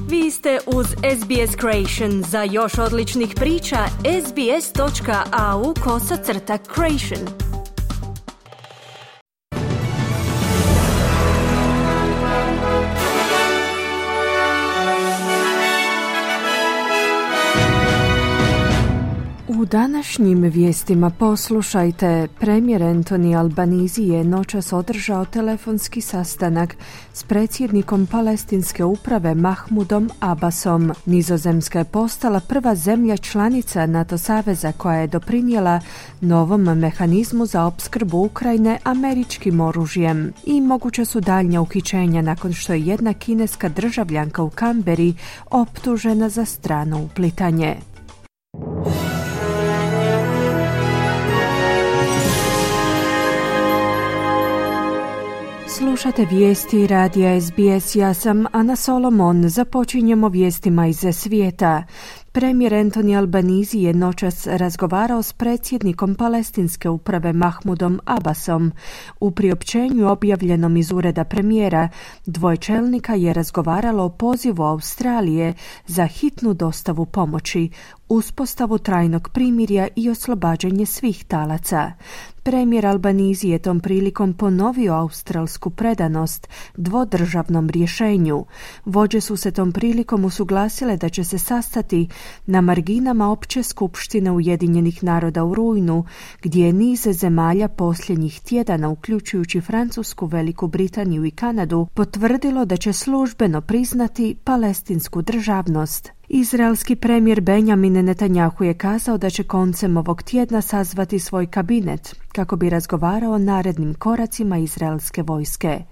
Vi ste uz SBS Creation. Za još odličnih priča, sbs.au/creation. U današnjim vijestima poslušajte, premijer Anthony Albanese je noćas održao telefonski sastanak s predsjednikom palestinske uprave Mahmudom Abbasom. Nizozemska je postala prva zemlja članica NATO saveza koja je doprinijela novom mehanizmu za opskrbu Ukrajine američkim oružjem. I moguće su daljnja uhićenja nakon što je jedna kineska državljanka u Canberri optužena za strano uplitanje. Slušate vijesti radija SBS, ja sam Ana Solomon. Započinjemo vijestima iz svijeta. Premijer Anthony Albanese je noćas razgovarao s predsjednikom palestinske uprave Mahmudom Abbasom. U priopćenju objavljenom iz ureda premijera, dvoje čelnika je razgovaralo o pozivu Australije za hitnu dostavu pomoći, uspostavu trajnog primirja i oslobađanje svih talaca. Premijer Albanese je tom prilikom ponovio australsku predanost dvodržavnom rješenju. Vođe su se tom prilikom usuglasile da će se sastati na marginama opće skupštine Ujedinjenih naroda u rujnu, gdje je niz zemalja posljednjih tjedana, uključujući Francusku, Veliku Britaniju i Kanadu, potvrdilo da će službeno priznati palestinsku državnost. Izraelski premijer Benjamin Netanjahu je kazao da će koncem ovog tjedna sazvati svoj kabinet kako bi razgovarao o narednim koracima izraelske vojske.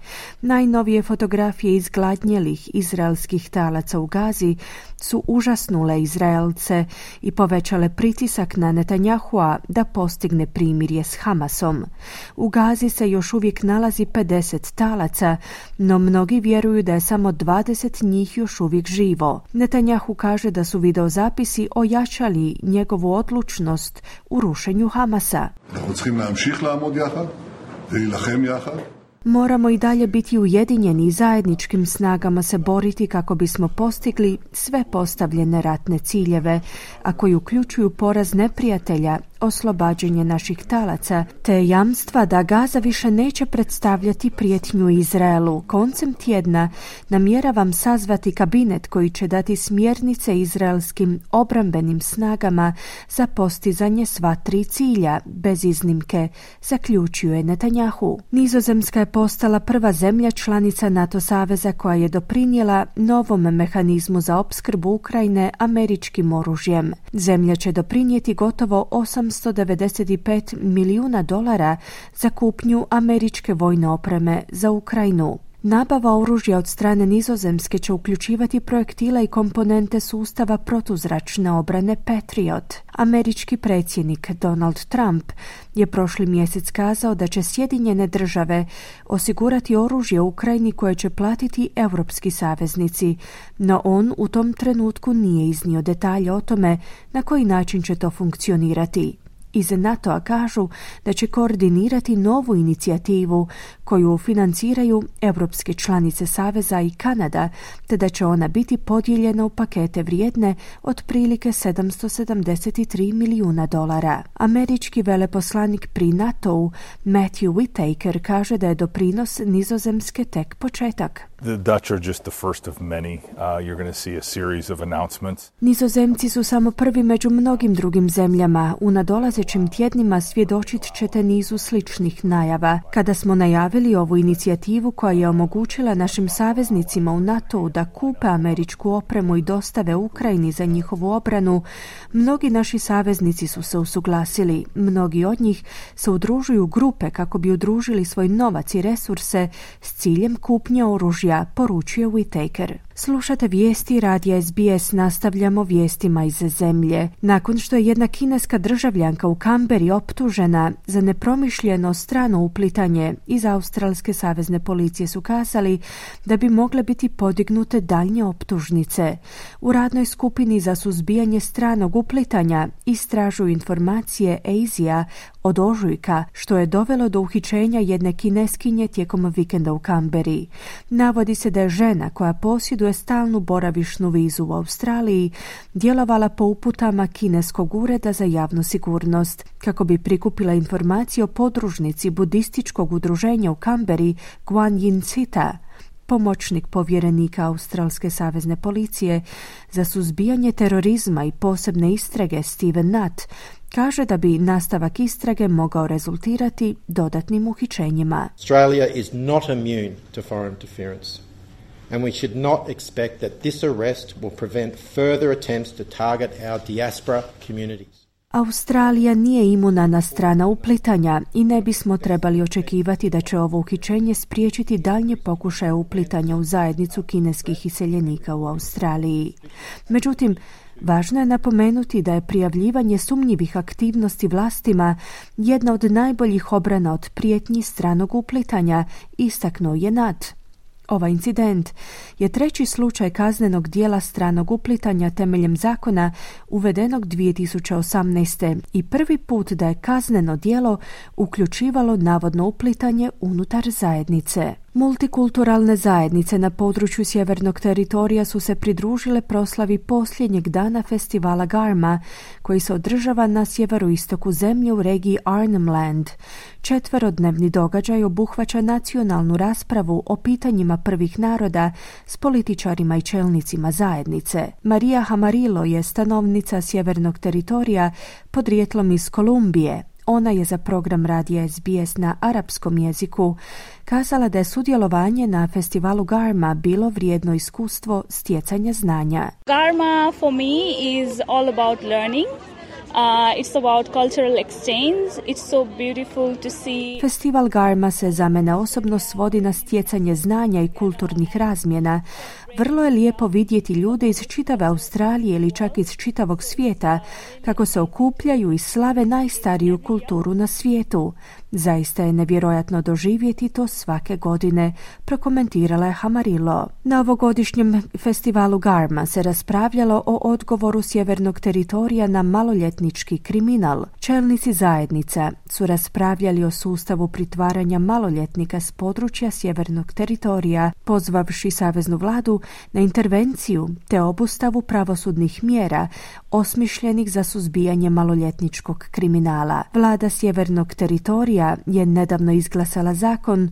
Najnovije fotografije izgladnjelih izraelskih talaca u Gazi su užasnule Izraelce i povećale pritisak na Netanjahua da postigne primirje s Hamasom. U Gazi se još uvijek nalazi 50 talaca, no mnogi vjeruju da je samo 20 njih još uvijek živo. Netanjahu kaže da su videozapisi ojačali njegovu odlučnost u rušenju Hamasa. Moramo i dalje biti ujedinjeni i zajedničkim snagama se boriti kako bismo postigli sve postavljene ratne ciljeve, a koji uključuju poraz neprijatelja, oslobađanje naših talaca, te jamstva da Gaza više neće predstavljati prijetnju Izraelu. Koncem tjedna namjeravam sazvati kabinet koji će dati smjernice izraelskim obrambenim snagama za postizanje sva tri cilja, bez iznimke, zaključio je Netanjahu. Nizozemska je postala prva zemlja članica NATO saveza koja je doprinijela novom mehanizmu za opskrbu Ukrajine američkim oružjem. Zemlja će doprinijeti gotovo $895 milijuna za kupnju američke vojne opreme za Ukrajinu. Nabava oružja od strane Nizozemske će uključivati projektile i komponente sustava protuzračne obrane Patriot. Američki predsjednik Donald Trump je prošli mjesec kazao da će Sjedinjene države osigurati oružje Ukrajini koje će platiti europski saveznici, no on u tom trenutku nije iznio detalje o tome na koji način će to funkcionirati. Iz NATO-a kažu da će koordinirati novu inicijativu koju financiraju europske članice Saveza i Kanada, te da će ona biti podijeljena u pakete vrijedne otprilike $773 milijuna. Američki veleposlanik pri NATO-u Matthew Whitaker kaže da je doprinos Nizozemske tek početak. The Dutch are just the first of many. You're going to see a series of announcements. Nizozemci su samo prvi među mnogim drugim zemljama. U nadolazećim tjednima svjedočit ćete nizu sličnih najava. Kada smo najavili ovu inicijativu koja je omogućila našim saveznicima u NATO-u da kupe američku opremu i dostave Ukrajini za njihovu obranu, mnogi naši saveznici su se usuglasili. Mnogi od njih se udružuju grupe kako bi udružili svoj novac i resurse s ciljem kupnje oružja, poručuje Whitaker. Slušate vijesti radija SBS, nastavljamo vijestima iz zemlje. Nakon što je jedna kineska državljanka u Canberri optužena za nepromišljeno strano uplitanje, iz australske savezne policije su kazali da bi mogle biti podignute daljnje optužnice. U radnoj skupini za suzbijanje stranog uplitanja istražuju informacije ASIA od ožujka, što je dovelo do uhićenja jedne kineskinje tijekom vikenda u Canberri. Navodi se da je žena koja posjeduje posjeduje stalnu boravišnu vizu u Australiji, djelovala po uputama kineskog ureda za javnu sigurnost, kako bi prikupila informacije o podružnici budističkog udruženja u Kamberi Guan Yin Sita. Pomoćnik povjerenika Australske savezne policije za suzbijanje terorizma i posebne istrage Steven Nutt kaže da bi nastavak istrage mogao rezultirati dodatnim uhićenjima. Australia is not immune to foreign interference, and we should not expect that this arrest will prevent further attempts to target our diaspora communities. Australija nije imuna na strana uplitanja i ne bismo trebali očekivati da će ovo uhićenje spriječiti daljnje pokušaje uplitanja u zajednicu kineskih iseljenika u Australiji. Međutim, važno je napomenuti da je prijavljivanje sumnjivih aktivnosti vlastima jedna od najboljih obrana od prijetnji stranog uplitanja, istaknuo je Nutt. Ovaj incident je treći slučaj kaznenog dijela stranog uplitanja temeljem zakona uvedenog 2018. i prvi put da je kazneno djelo uključivalo navodno uplitanje unutar zajednice. Multikulturalne zajednice na području sjevernog teritorija su se pridružile proslavi posljednjeg dana festivala Garma, koji se održava na sjeveroistoku zemlje u regiji Arnhem Land. 4-dnevni događaj obuhvaća nacionalnu raspravu o pitanjima prvih naroda s političarima i čelnicima zajednice. Maria Hamarilo je stanovnica sjevernog teritorija podrijetlom iz Kolumbije. Ona je za program radija SBS na arapskom jeziku kazala da je sudjelovanje na festivalu Garma bilo vrijedno iskustvo stjecanja znanja. Garma for me is all about learning. It's about cultural exchange. It's so beautiful to see. Festival Garma se za mene osobno svodi na stjecanje znanja i kulturnih razmjena. Vrlo je lijepo vidjeti ljude iz čitave Australije ili čak iz čitavog svijeta kako se okupljaju i slave najstariju kulturu na svijetu. Zaista je nevjerojatno doživjeti to svake godine, prokomentirala je Hamarilo. Na ovogodišnjem festivalu Garma se raspravljalo o odgovoru sjevernog teritorija na maloljetnički kriminal. Čelnici zajednica su raspravljali o sustavu pritvaranja maloljetnika s područja sjevernog teritorija, pozvavši saveznu vladu na intervenciju te obustavu pravosudnih mjera osmišljenih za suzbijanje maloljetničkog kriminala. Vlada sjevernog teritorija je nedavno izglasala zakon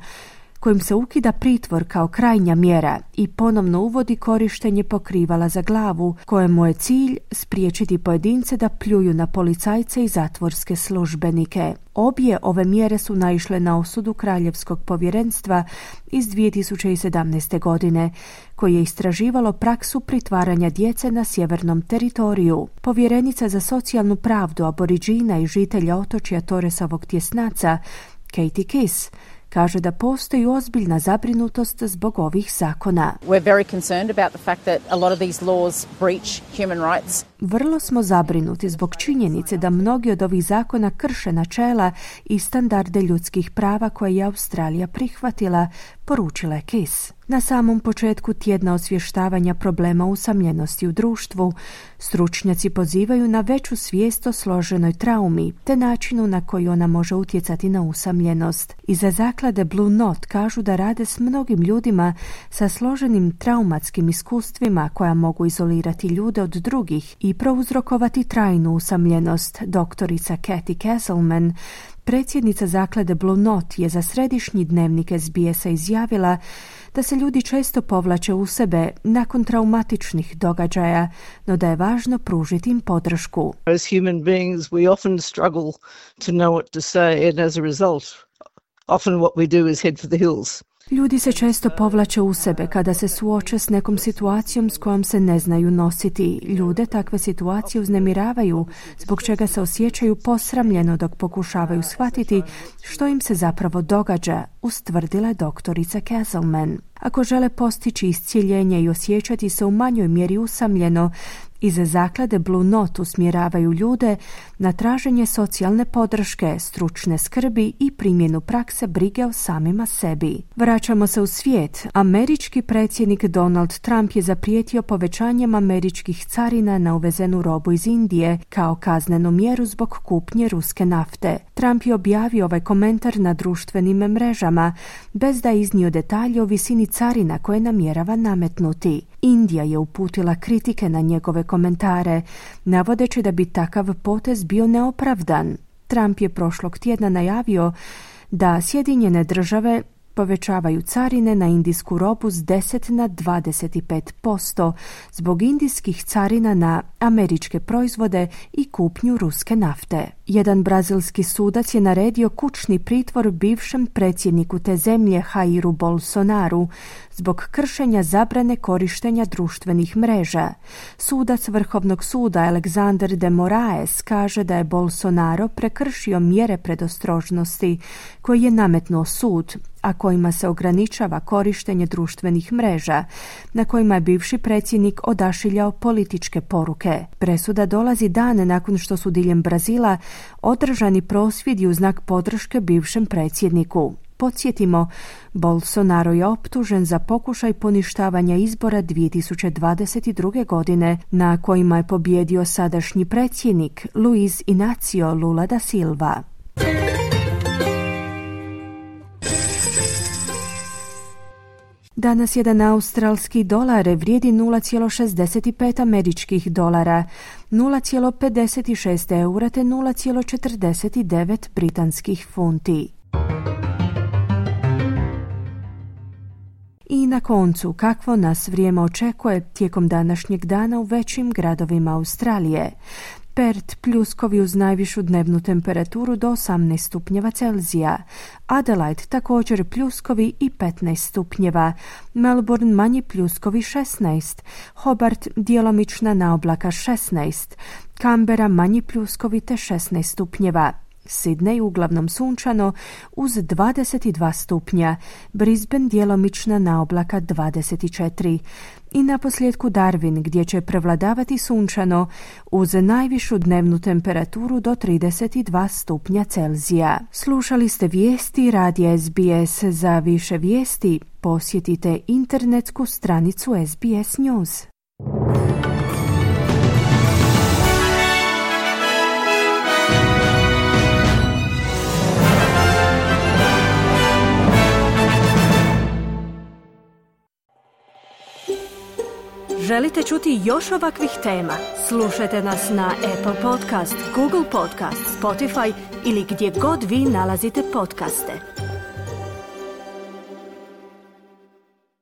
kojim se ukida pritvor kao krajnja mjera i ponovno uvodi korištenje pokrivala za glavu, kojemu je cilj spriječiti pojedince da pljuju na policajce i zatvorske službenike. Obje ove mjere su naišle na osudu Kraljevskog povjerenstva iz 2017. godine, koje je istraživalo praksu pritvaranja djece na sjevernom teritoriju. Povjerenica za socijalnu pravdu aboriđina i žitelja otočja Torresovog tjesnaca, Katie Kiss, kaže da postoji ozbiljna zabrinutost zbog ovih zakona. We're very concerned about the fact that a lot of these laws breach human rights. Vrlo smo zabrinuti zbog činjenice da mnogi od ovih zakona krše načela i standarde ljudskih prava koje je Australija prihvatila, poručila je Kiss. Na samom početku tjedna osvještavanja problema usamljenosti u društvu, stručnjaci pozivaju na veću svijest o složenoj traumi te načinu na koji ona može utjecati na usamljenost. Iza zaklade Blue Knot kažu da rade s mnogim ljudima sa složenim traumatskim iskustvima koja mogu izolirati ljude od drugih i prouzrokovati trajnu usamljenost. Doktorica Kathy Castleman, predsjednica zaklade Blue Knot, je za središnji dnevnik SBS-a izjavila da se ljudi često povlače u sebe nakon traumatičnih događaja, no da je važno pružiti im podršku. As human beings, we often struggle to know what to say, and as a result, often what we do is head for the hills. Ljudi se često povlače u sebe kada se suoče s nekom situacijom s kojom se ne znaju nositi. Ljude takve situacije uznemiravaju, zbog čega se osjećaju posramljeno dok pokušavaju shvatiti što im se zapravo događa, ustvrdila je doktorica Castleman. Ako žele postići iscjeljenje i osjećati se u manjoj mjeri usamljeno, iza zaklade Blue Knot usmjeravaju ljude na traženje socijalne podrške, stručne skrbi i primjenu prakse brige o samima sebi. Vraćamo se u svijet. Američki predsjednik Donald Trump je zaprijetio povećanjem američkih carina na uvezenu robu iz Indije kao kaznenu mjeru zbog kupnje ruske nafte. Trump je objavio ovaj komentar na društvenim mrežama bez da je iznio detalje o visini carina koje namjerava nametnuti. Indija je uputila kritike na njegove komentare, navodeći da bi takav potez bio neopravdan. Trump je prošlog tjedna najavio da Sjedinjene države povećavaju carine na indijsku robu s 10 na 25% zbog indijskih carina na američke proizvode i kupnju ruske nafte. Jedan brazilski sudac je naredio kućni pritvor bivšem predsjedniku te zemlje Jairu Bolsonaru zbog kršenja zabrane korištenja društvenih mreža. Sudac Vrhovnog suda Alexander de Moraes kaže da je Bolsonaro prekršio mjere predostrožnosti koje je nametnuo sud, a kojima se ograničava korištenje društvenih mreža, na kojima je bivši predsjednik odašiljao političke poruke. Presuda dolazi dan nakon što su diljem Brazila održani prosvjedi u znak podrške bivšem predsjedniku. Podsjetimo, Bolsonaro je optužen za pokušaj poništavanja izbora 2022. godine, na kojima je pobijedio sadašnji predsjednik Luiz Inácio Lula da Silva. Danas jedan australski dolar vrijedi 0,65 američkih dolara, 0,56 eura te 0,49 britanskih funti. I na koncu, kakvo nas vrijeme očekuje tijekom današnjeg dana u većim gradovima Australije. Perth pljuskovi uz najvišu dnevnu temperaturu do 18 stupnjeva Celzija. Adelaide također pljuskovi i 15 stupnjeva. Melbourne manji pljuskovi 16. Hobart djelomična naoblaka 16. Canberra manji pljuskovi te 16 stupnjeva. Sydney uglavnom sunčano uz 22 stupnja, Brisbane djelomična naoblaka 24. I naposljetku Darwin gdje će prevladavati sunčano uz najvišu dnevnu temperaturu do 32 stupnja Celzija. Slušali ste vijesti radija SBS. Za više vijesti posjetite internetsku stranicu SBS News. Želite čuti još ovakvih tema? Slušajte nas na Apple Podcast, Google Podcast, Spotify ili gdje god vi nalazite podcaste.